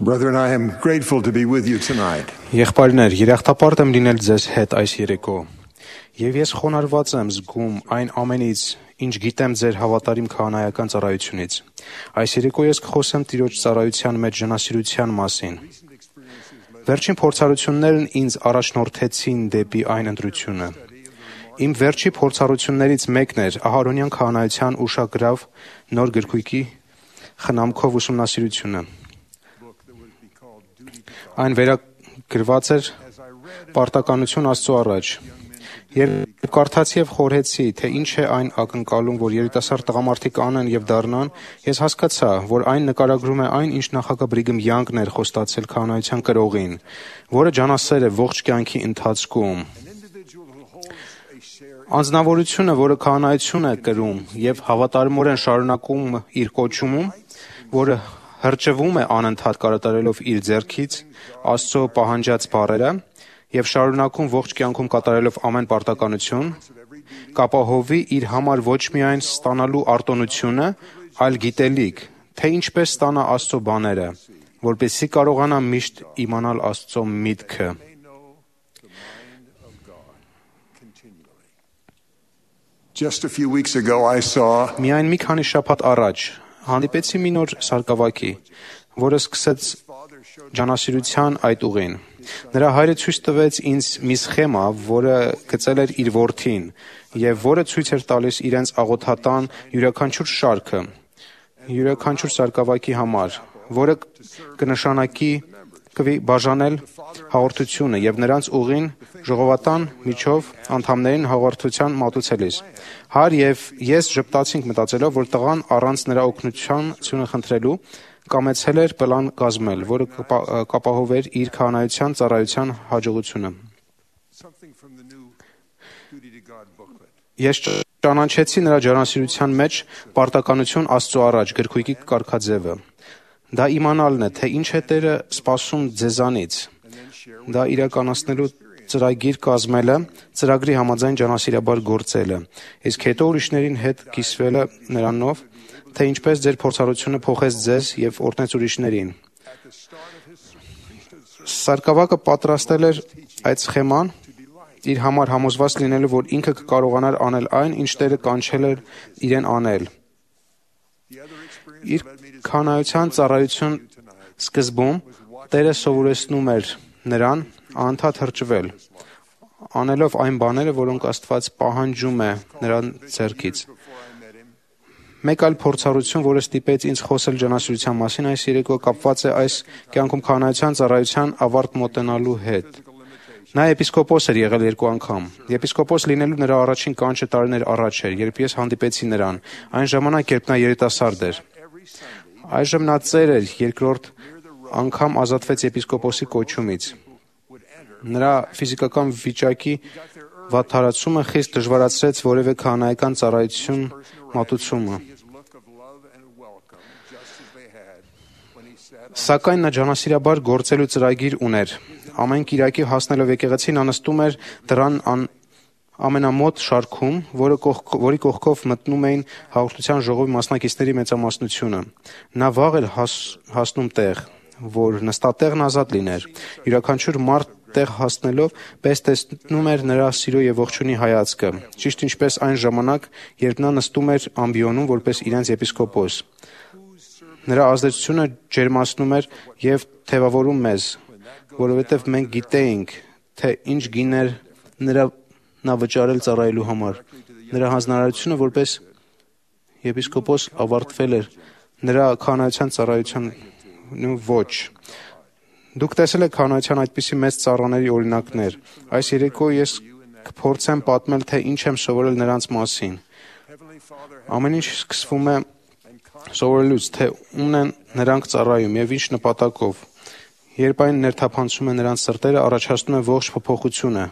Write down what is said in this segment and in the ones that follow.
Brethren, I am grateful to be with you tonight. Եղբայրներ, երախտապարտ եմ լինել ձեզ հետ այս երեկո։ Եվ ես խոնարհված եմ զգում այն ամենից, ինչ գիտեմ ձեր հավատարիմ քահանայական ծառայությունից։ Այս երեկո ես կխոսեմ Տիրոջ ծառայության մեջ ժանասիրության մասին։ Վերջին փորձառություններն ինձ առաջնորդեցին դեպի այն ընտրությունը։ Իմ վերջի փորձառություններից մեկն էր Ահարոնյան քահանայության ուշագրավ նոր գրքույկի խնամքով ուսումնասիրությունը։ Այն վերագրված էր «Պարտականություն Աստծո առաջ»։ Երբ կարդացի եւ խորհեցի, թե ինչ է այն ակնկալում, որ երիտասարդ տղամարդիկ անեն եւ դառնան, ես հասկացա, որ այն նկարագրում է այն, ինչ նախագահ Բրիգեմ Յանգն էր խոստացել քահանայության կրողին, որը ջանասեր է ողջ կյանքի ընթացքում։ Անձնավորությունը, որը քահանայություն է կրում եւ հավատարմորեն շարունակում իր կոչումում, որը հրճվում է անընդհատ կատարելով իր ձեռքից Աստծո պահանջած բառերը եւ շարունակում ողջ կյանքում կատարելով ամեն պարտականություն, կապահովի իր համար ոչ միայն ստանալու արտոնությունը, այլ գիտելիք, թե ինչպես ստանա Աստծո բաները, որպեսզի կարողանա միշտ իմանալ Աստծո միտքը։ Just a few weeks ago, I saw Միայն մի քանի շաբաթ առաջ հանդիպեցի մի նոր սարկավակի, որը սկսեց ջանասիրության այդ ուղին։ Նրա հայրը ցույց տվեց ինձ մի սխեմա, որը գծել էր իր որդին, եւ որը ցույց էր տալիս իրենց աղոթատան յուրաքանչյուր շարքը, յուրաքանչյուր սարկավակի համար, որը կնշանակի բաժանել հաղորդությունը եւ նրանց ուղին ժողովատան միջով անդամներին հաղորդության մատուցելիս։ Հայր եւ ես ժպտացինք մտածելով, որ տղան առանց նրա օգնությունը խնդրելու կամեցել էր պլան կազմել, որը կապահովեր իր քահանայության ծառայության հաջողությունը։ Ես ճանաչեցի նրա ջանասիրության մեջ պարտականություն Աստծո առաջ գրքույկի կարգաձևը։ Դա իմանալն է, թե ինչ է Տերը սպասում ձեզանից։ Դա իրականացնելու ծրագիր կազմելը, ծրագրի համաձայն ջանասիրաբար գործելը, իսկ հետո ուրիշներին հետ կիսվելը նրանով, թե ինչպես ձեր փորձառությունը փոխեց ձեզ եւ օրհնեց ուրիշներին։ Սարկավակը պատրաստել էր այդ սխեման իր համար համոզված լինելու, որ ինքը կկարողանար անել այն, ինչ Տերը կանչել էր իրեն անել։ Իր քահանայության ծառայության սկզբում Տերը սովորեցնում էր նրան անընդհատ հրճվել, անելով այն բաները, որոնք Աստված պահանջում է նրան ձեռքից։ Մեկ այլ փորձառություն, որը ստիպեց ինձ խոսել ջանասիրության մասին այս երեկո, կապված է այս կյանքում քահանայության ծառայության ավարտ մոտենալու հետ։ Նա եպիսկոպոս էր եղել 2 անգամ։ Եպիսկոպոս լինելու նրա առաջին կանչը տարիներ առաջ էր, երբ ես հանդիպեցի նրան, այն ժամանակ, երբ նա երիտասարդ էր։ Այժմ նա ծեր էր, երկրորդ անգամ ազատվեց եպիսկոպոսի կոչումից։ Նրա ֆիզիկական վիճակի վատթարացումը խիստ դժվարացրեց որևէ քահանայական ծառայություն մատուցումը։ Սակայն նա ջանասիրաբար գործելու ծրագիր ուներ։ Ամեն կիրակի հասնելով եկեղեցի նա նստում էր դռան ամենամոտ շարքում, որի կողքով մտնում էին հաղորդության ժողովի մասնակիցների մեծամասնությունը։ Նա վաղ էր հասնում տեղ, որ նստատեղն ազատ լիներ։ Յուրաքանչյուր մարդ տեղ հասնելով պես տեսնում էր նրա սիրո եւ ողջունի հայացքը, ճիշտ ինչպես այն ժամանակ, երբ նա նստում էր ամբիոնում որպես իրենց եպիսկոպոս։ Նրա ազդեցությունը ջերմացնում էր եւ թևավորում մեզ, որովհետեւ մենք գիտեինք, թե ինչ գիներ նա վճարել ծառայելու համար։ Նրա հանձնարարությունը որպես եպիսկոպոս ավարտվել էր, նրա քահանայության ծառայության ոչ։ Դուք տեսել եք քահանայության այդպիսի մեծ ծառաների օրինակներ։ Այս երեկո ես կփորձեմ պատմել, թե ինչ եմ սովորել նրանց մասին։ Ամեն ինչ սկսվում է սովորելուց, թե ումն են նրանք ծառայում եւ ինչ նպատակով։ Երբ այն ներթափանցում է նրանց սրտերը, առաջացնում է ողջ փոփոխությունը։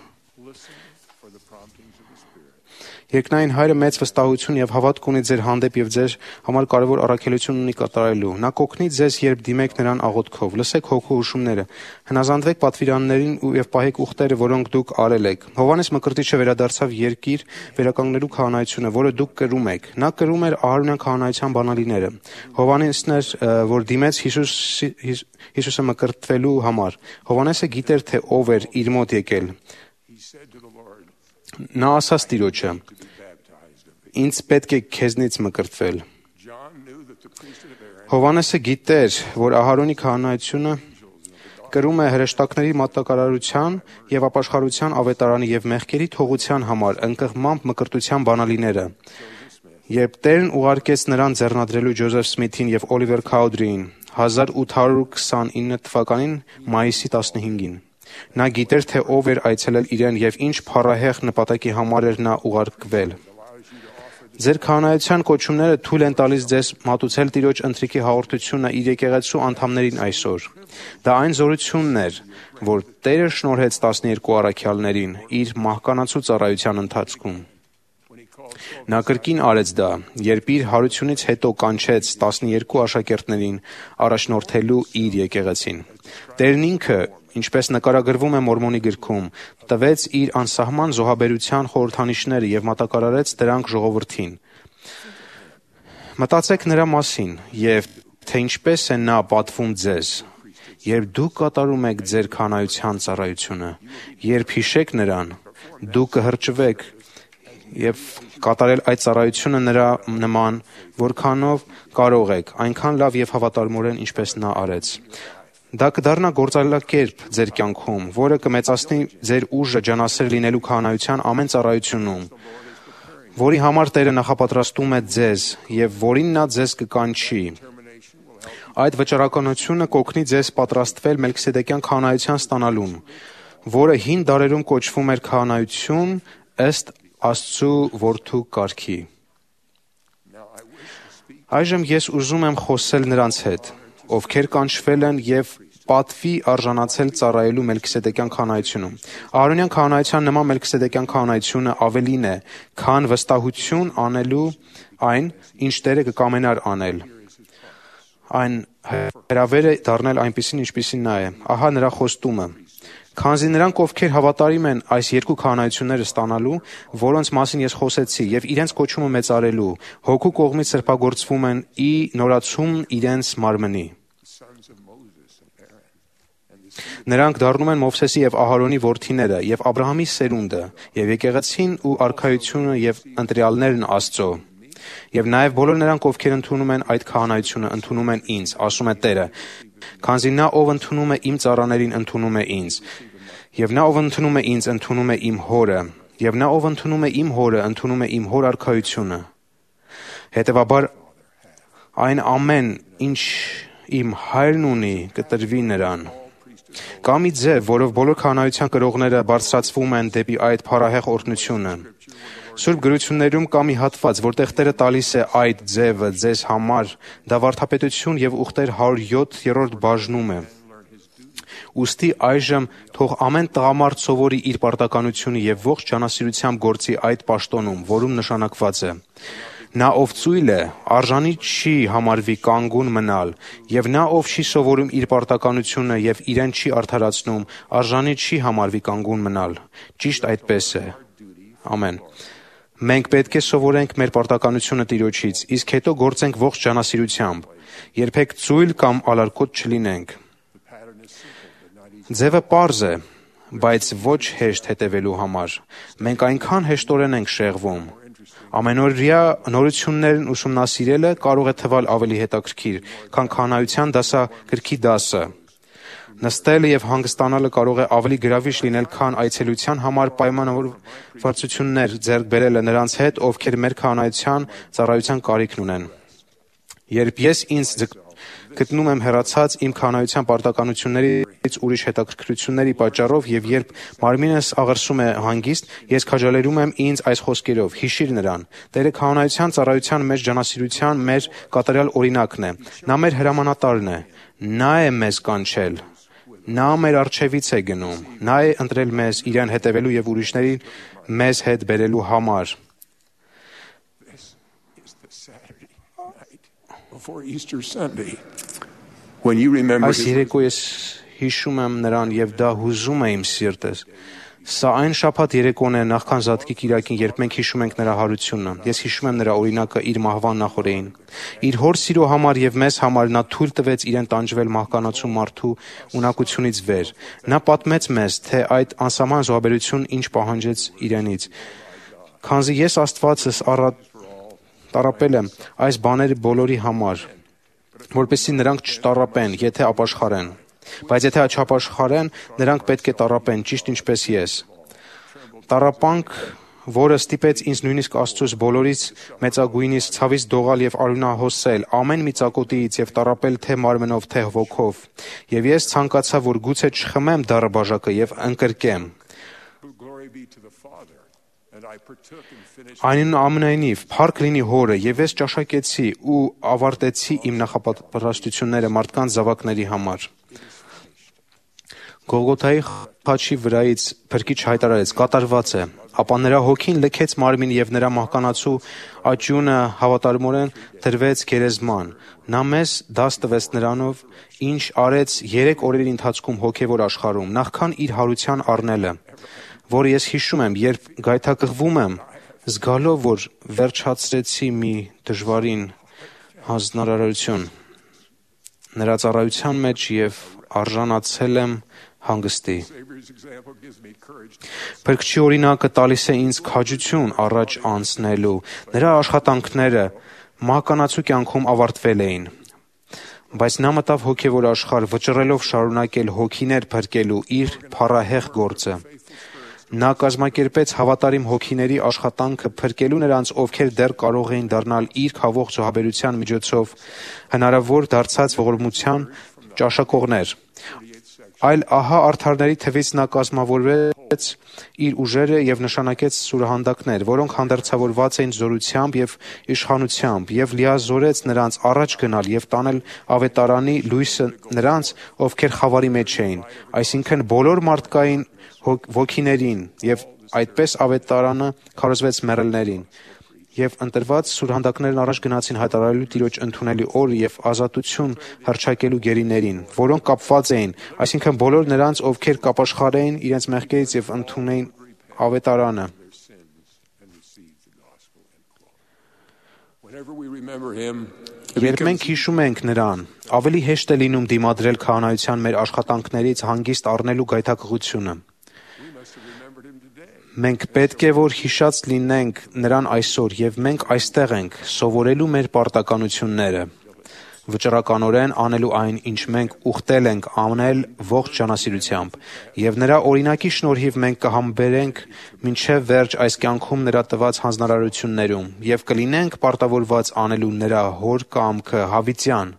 Երկնային Հայրը մեծ վստահություն եւ հավատք ունի ձեր հանդեպ եւ ձեր համար կարեւոր առաքելություն ունի կատարելու։ Նա կօգնի ձեզ, երբ դիմեք նրան աղոթքով։ Լսեք հոգու հուշումները։ Հնազանդվեք պատվիրաններին եւ պահեք ուխտերը, որոնք դուք արել եք։ Հովհաննես Մկրտիչը վերադարձավ երկիր վերականգնելու քահանայությունը, որը դուք կրում եք։ Նա կրում էր Ահարոնյան քահանայության բանալիները։ Հովհաննեսն էր, որ դիմեց Հիսուսը մկրտվելու համար։ Հովհաննեսը գիտեր, թե ով էր իր մոտ եկել։ Նա ասաց Տիրոջը. «Ինձ պետք է քեզնից մկրտվել»։ Հովհաննեսը գիտեր, որ Ահարոնի քահանայությունը կրում է հրեշտակների մատակարարության եւ ապաշխարության ավետարանի եւ մեղքերի թողության համար ընկղմամբ մկրտության բանալիները։ Երբ Տերն ուղարկեց նրան ձեռնադրելու Ջոզեֆ Սմիթին եւ Օլիվեր Քաուդրիին 1829 թվականին մայիսի 15-ին։ Նա գիտեր, թե ով էր այցելել իրեն եւ ինչ փառահեղ նպատակի համար էր նա ուղարկվել։ Ձեր քահանայության կոչումները թույլ են տալիս ձեզ մատուցել Տիրոջ ընթրիքի հաղորդությունը իր եկեղեցու անդամներին այսօր։ Դա այն զորությունն էր, որ Տերը շնորհեց 12 առաքյալներին իր մահկանացու ծառայության ընթացքում։ Նա կրկին արեց դա, երբ իր հարությունից հետո կանչեց 12 աշակերտներին առաջնորդելու իր եկեղեցին։ Տերն ինքը, ինչպես նկարագրվում է Մորմոնի գրքում, տվեց իր անսահման զոհաբերության խորհրդանիշները եւ մատակարարեց դրանք ժողովրդին։ Մտածեք նրա մասին եւ թե ինչպես է նա պատվում ձեզ, երբ դուք կատարում եք ձեր քահանայության ծառայությունը, երբ հիշեք նրան, դուք կհրճվեք եւ կատարել այդ ծառայությունը նրա նման, որքանով կարող եք, այնքան լավ եւ հավատարմորեն, ինչպես նա արեց։ Դա կդառնա գործելակերպ ձեր կյանքում, որը կմեծացնի ձեր ուժը ջանասեր լինելու քահանայության ամեն ծառայությունում, որի համար Տերը նախապատրաստում է ձեզ եւ որին նա ձեզ կկանչի։ Այդ վճռականությունը կօգնի ձեզ պատրաստվել Մելքիսեդեկյան քահանայության ստանալուն, որը հին դարերում կոչվում էր քահանայություն ըստ Աստծու որդու կարգի։ Այժմ ես ուզում եմ խոսել նրանց հետ, ովքեր կանչվել են եւ պատվի արժանացել ծառայելու Մելքիսեդեկյան քահանայությունում։ Ահարոնյան քահանայության նման Մելքիսեդեկյան քահանայությունը ավելին է, քան վստահություն անելու այն, ինչ Տերը կկամենար անել։ Այն հրավեր է դառնել այնպիսին, ինչպիսին նա է։ Ահա նրա խոստումը։ Քանզի նրանք, ովքեր հավատարիմ են այս երկու քահանայությունները ստանալու, որոնց մասին ես խոսեցի, եւ իրենց կոչումը մեծարելու, հոգու կողմից սրբագործվում են ի նորացում իրենց մարմնի։ Նրանք դառնում են Մովսեսի եւ Ահարոնի որդիները եւ Աբրահամի սերունդը եւ եկեղեցին ու արքայությունը եւ ընտրյալներն Աստծո։ Եվ նաեւ բոլոր նրանք, ովքեր ընդունում են այդ քահանայությունը, ընդունում են ինձ, ասում է Տերը, քանզի նա, ով ընդունում է իմ ծառաներին, ընդունում է ինձ, եւ նա, ով ընդունում է ինձ, ընդունում է իմ Հորը, եւ նա, ով ընդունում է իմ Հորը, ընդունում է իմ Հոր արքայությունը։ Հետևաբար այն ամեն, ինչ իմ Հայրն ունի, կտրվի նրան։ Կա մի ձև, որով բոլոր քահանայության կրողները բարձրացվում են դեպի այդ փառահեղ օրհնությունը։ Սուրբ գրություններում կա մի հատված, որտեղ Տերը տալիս է այդ ձևը ձեզ համար, դա վարդապետություն եւ ուխտեր 107-րդ բաժնում է։ Ուստի այժմ թող ամեն տղամարդ սովորի իր պարտականությունը եւ ողջ ջանասիրությամբ գործի այդ պաշտոնում, որում նշանակված է։ Նա, ով ծույլ է, արժանի չի համարվի կանգուն մնալ, եւ նա, ով չի սովորում իր պարտականությունը եւ իրեն չի արդարացնում, արժանի չի համարվի կանգուն մնալ։ Ճիշտ այդպես է։ Ամեն։ Մենք պետք է սովորենք մեր պարտականությունը Տիրոջից, իսկ հետո գործենք ողջ ջանասիրությամբ։ Երբեք ծույլ կամ ալարկոտ չլինենք։ Ձևը պարզ է, բայց ոչ հեշտ հետևելու համար։ Մենք այնքան հեշտորեն ենք շեղվում։ Ամենօրյա նորություններն ուսումնասիրելը կարող է թվալ ավելի հետաքրքիր, քան քահանայության դասագրքի դասը։ Նստելը եւ հանգստանալը կարող է ավելի գրավիչ լինել, քան այցելության համար պայմանավորվածություններ ձեռք բերելը նրանց հետ, ովքեր մեր քահանայության ծառայության կարիքն ունեն։ Երբ ես ինձ գտնում եմ հեռացած իմ քահանայության պարտականություններից ուրիշ հետաքրքրությունների պատճառով եւ երբ մարմինս աղրսում է հանգիստ, ես քաջալերում եմ ինձ այս խոսքերով. հիշիր նրան։ Տերը քահանայության ծառայության մեջ ջանասիրության մեր կատարյալ օրինակն է։ Նա մեր հրամանատարն է։ Նա է մեզ կանչել։ Նա մեր առջևից է գնում։ Նա է ընտրել մեզ իրեն հետևելու եւ ուրիշներին մեզ հետ բերելու համար։ before Easter Sunday, when you remember Այս երեկո ես հիշում եմ նրան եւ դա հուզում է իմ սիրտս։ Սա այն շաբաթ երեկոն է նախքան Զատկի կիրակին, երբ մենք հիշում ենք նրա հարությունը։ Ես հիշում եմ նրա օրինակը իր մահվան նախօրեին։ Իր հոր սիրո համար եւ մեզ համար նա թույլ տվեց իրեն տանջվել մահկանացու մարդու ունակությունից վեր։ Նա պատմեց մեզ, թե այդ անսահման զոհաբերությունն ինչ պահանջեց իրենից։ Քանզի ես Աստվածս տառապել եմ այս բաները բոլորի համար, որպեսզի նրանք չտառապեն, եթե ապաշխարեն։ Բայց եթե չապաշխարեն, նրանք պետք է տառապեն, ճիշտ ինչպես ես։ Տառապանք, որը ստիպեց ինձ նույնիսկ Աստծուց բոլորից մեծագույնից ցավից դողալ եւ արյունահոսել ամեն մի ծակոտիից եւ տառապել թե մարմնով, թե ոգով։ Եվ ես ցանկացա, որ գուցե չխմեմ դառը բաժակը եւ ընկրկեմ։ Այնուամենայնիվ, փառք լինի Հորը, եւ ես ճաշակեցի ու ավարտեցի իմ նախապատրաստությունները մարդկանց զավակների համար։ Գողգոթայի խաչի վրայից Փրկիչ հայտարարեց. կատարված է, ապա նրա հոգին լքեց մարմին եւ նրա մահկանացու աճյունը հավատարմորեն դրվեց գերեզման։ Նա մեզ դաս տվեց նրանով, ինչ արեց 3 օրերի ընթացքում հոգեվոր աշխարհում, նախքան իր հարության առնելը, որը ես հիշում եմ, երբ գայթակղվում եմ, զգալով, որ վերջացրեցի մի դժվարին հանձնարարություն նրա ծառայության մեջ եւ արժանացել եմ հանգստի։ Փրկչի օրինակը տալիս է ինձ քաջություն առաջ անցնելու։ Նրա աշխատանքները մահկանացու կյանքում ավարտվել էին, բայց նա մտավ հոգևոր աշխարհ, վճռելով շարունակել հոգիներ փրկելու իր փառահեղ գործը։ Նա կազմակերպեց հավատարիմ հոգիների աշխատանքը փրկելու նրանց, ովքեր դեռ կարող էին դառնալ իր քավող զոհաբերության միջոցով հնարավոր դարձած ողորմության ճաշակողներ։ Այլ ահա արդարների թվից նա կազմավորեց իր ուժերը եւ նշանակեց սուրհանդակներ, որոնք հանդերձավորված էին զորությամբ եւ իշխանությամբ, եւ լիազորեց նրանց առաջ գնալ եւ տանել ավետարանի լույսը նրանց, ովքեր խավարի մեջ էին, այսինքն բոլոր մարդկային ոգիներին, եւ այդպես ավետարանը քարոզվեց մեռելներին։ Եվ ընտրված սուրհանդակներն առաջ գնացին հայտարարելու Տիրոջ ընդունելի օրը եւ ազատություն հռչակելու գերիներին, որոնք կապված էին, այսինքն բոլոր նրանց, ովքեր կապաշխարեին իրենց մեղքերից եւ ընդունեին ավետարանը։ Երբ մենք հիշում ենք նրան, ավելի հեշտ է լինում դիմադրել քահանայության մեր աշխատանքներից հանգիստ առնելու գայթակղությունը։ Մենք պետք է որ հիշած լինենք նրան այսօր, եւ մենք այստեղ ենք սովորելու մեր պարտականությունները, վճռականորեն անելու այն, ինչ մենք ուխտել ենք անել ողջ ջանասիրությամբ, եւ նրա օրինակի շնորհիվ մենք կհամբերենք մինչեւ վերջ այս կյանքում նրա տված հանձնարարություններում եւ կլինենք պարտավորված անելու նրա հոր կամքը հավիտյան,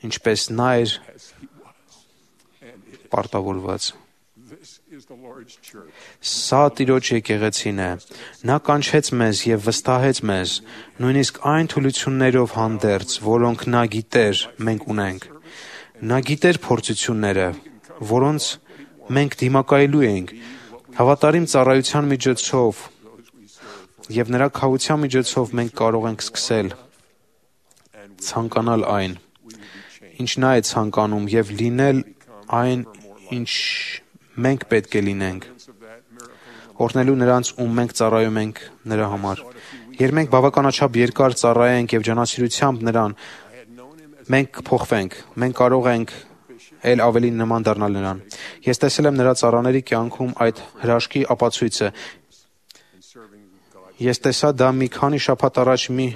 ինչպես նա էր պարտավորված։ Սա Տիրոջ եկեղեցին է։ Նա կանչեց մեզ եւ վստահեց մեզ, նույնիսկ այն թուլություններով հանդերձ, որոնք նա գիտեր մենք ունենք։ Նա գիտեր փորձությունները, որոնց մենք դիմակայելու ենք, հավատարիմ ծառայության միջոցով եւ նրա քավության միջոցով մենք կարող ենք սկսել ցանկանալ այն, ինչ նա է ցանկանում եւ լինել այն, ինչ մենք պետք է լինենք, օրհնելու նրանց, ում մենք ծառայում ենք նրա համար։ Երբ մենք բավականաչափ երկար ծառայենք եւ ջանասիրությամբ նրան, մենք կփոխվենք, մենք կարող ենք էլ ավելի նման դառնալ նրան։ Ես տեսել եմ նրա ծառաների կյանքում այդ հրաշքի ապացույցը։ Ես տեսա դա մի քանի շաբաթ առաջ մի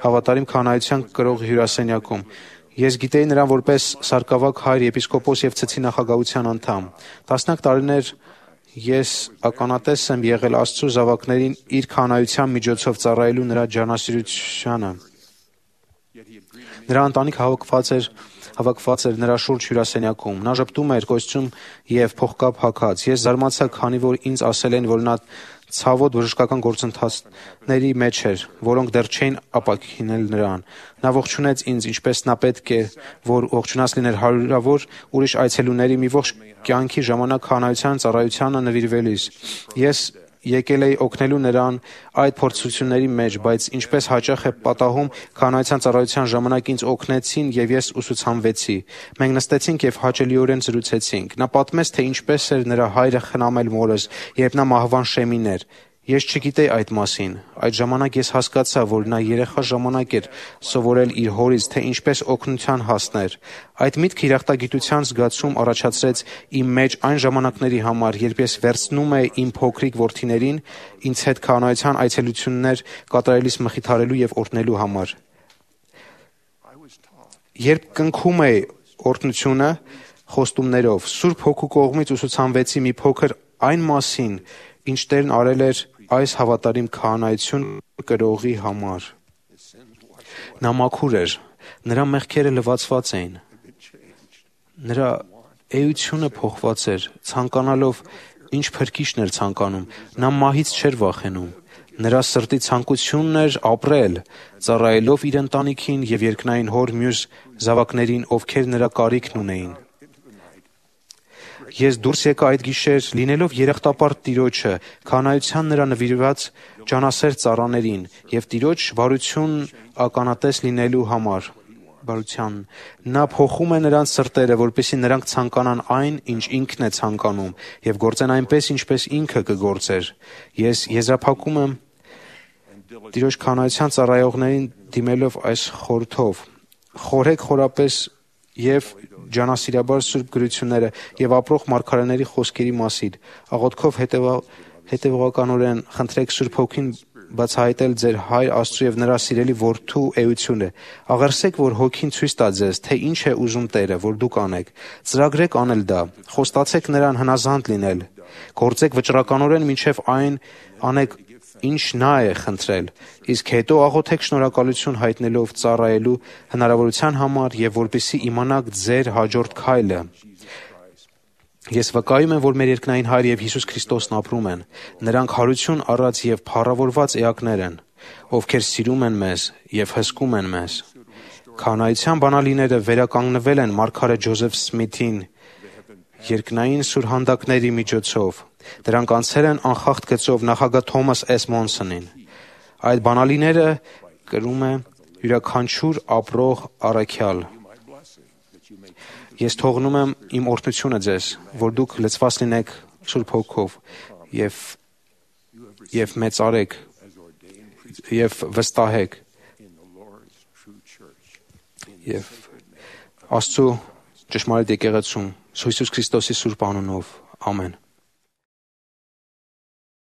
հավատարիմ քահանայության կրող հյուրասենյակում։ Ես գիտեի նրան որպես սարկավակ հայր, եպիսկոպոս եւ ցցի նախագահության անդամ։ Տասնյակ տարիներ ես ականատես եմ եղել Աստծո զավակներին իր քահանայության միջոցով ծառայելու նրա ջանասիրությանը։ Նրա ընտանիքը հավաքված էր նրա շուրջ հյուրասենյակում։ Նա ժպտում էր կոստյում եւ փողկապ հագած։ Ես զարմացա, քանի որ ինձ ասել են, որ նա ցավոտ բժշկական գործընթացների մեջ էր, որոնք դեռ չէին ապաքինել նրան։ Նա ողջունեց ինձ, ինչպես նա պետք է, որ ողջունած լիներ հարյուրավոր ուրիշ այցելուների մի ողջ կյանքի ժամանակ քահանայության ծառայությանը նվիրվելիս։ Ես եկել էի օգնելու նրան այդ փորձությունների մեջ, բայց ինչպես հաճախ է պատահում, քահանայության ծառայության ժամանակ ինձ օգնեցին եւ ես ուսուցանվեցի։ Մենք նստեցինք եւ հաճելիորեն զրուցեցինք։ Նա պատմեց, թե ինչպես էր նրա հայրը խնամել մորս, երբ նա մահվան շեմին էր։ Ես չգիտեի այդ մասին։ Այդ ժամանակ ես հասկացա, որ նա երեխա ժամանակ էր սովորել իր հորից, թե ինչպես օգնության հասներ։ Այդ միտքը երախտագիտության զգացում առաջացրեց իմ մեջ այն ժամանակների համար, երբ ես վերցնում էի իմ փոքրիկ որդիներին ինձ հետ քահանայության այցելություններ կատարելիս մխիթարելու եւ օրհնելու համար։ Երբ կնքում էի օրհնությունը խոստումներով, Սուրբ Հոգու կողմից ուսուցանվեցի մի փոքր այն մասին, ինչ Տերն արել էր այս հավատարիմ քահանայություն կրողի համար։ Նա մաքուր էր, նրա մեղքերը լվացված էին, նրա էությունը փոխված էր, ցանկանալով ինչ փրկիչն էր ցանկանում, նա մահից չէր վախենում, նրա սրտի ցանկությունն էր ապրել, ծառայելով իր ընտանիքին եւ երկնային հոր մյուս զավակներին, ովքեր նրա կարիքն ունեին։ Ես դուրս եկա այդ գիշեր, լինելով երախտապարտ Տիրոջը, քահանայության նրա նվիրված ջանասեր ծառաներին եւ Տիրոջ բարություն ականատես լինելու համար։ Նա փոխում է նրանց սրտերը, որպեսզի նրանք ցանկանան այն, ինչ ինքն է ցանկանում, եւ գործեն այնպես, ինչպես ինքը կգործեր։ Ես եզրափակում եմ Տիրոջ քահանայության ծառայողներին դիմելով այս խորհրդով. խորհեք խորապես եւ ջանասիրաբար Սուրբ գրությունները եւ ապրող մարգարեների խոսքերի մասին, աղոթքով հետեւողականորեն խնդրեք Սուրբ Հոգին բացահայտել ձեր Հայր Աստծու եւ նրա սիրելի որդու էությունը։ Աղերսեք, որ Հոգին ցույց տա ձեզ, թե ինչ է ուզում Տերը, որ դուք անեք։ Ծրագրեք անել դա։ Խոստացեք նրան հնազանդ լինել։ Գործեք վճռականորեն մինչև այն անեք, ինչ նա է խնդրել, իսկ հետո աղոթեք շնորհակալություն հայտնելով ծառայելու հնարավորության համար եւ որպեսզի իմանաք ձեր հաջորդ քայլը։ Ես վկայում եմ, որ մեր երկնային Հայր եւ Հիսուս Քրիստոսն ապրում են։ Նրանք հարություն առած եւ փառավորված էակներ են, ովքեր սիրում են մեզ եւ հսկում են մեզ։ Քահանայության բանալիները վերականգնվել են մարգարե Ջոզեֆ Սմիթին երկնային սուրհանդակների միջոցով։ Դրանք անցել են անխախտ գծով նախագահ Թոմաս S. Մոնսոնին։ Այդ բանալիները կրում է յուրաքանչյուր ապրող առաքյալ։ Ես թողնում եմ իմ օրհնությունը ձեզ, որ դուք լցված լինեք Սուրբ Հոգով եւ մեծարեք եւ վստահեք եւ Աստծո ճշմարիտ եկեղեցում Հիսուս Քրիստոսի սուրբ անունով ամեն։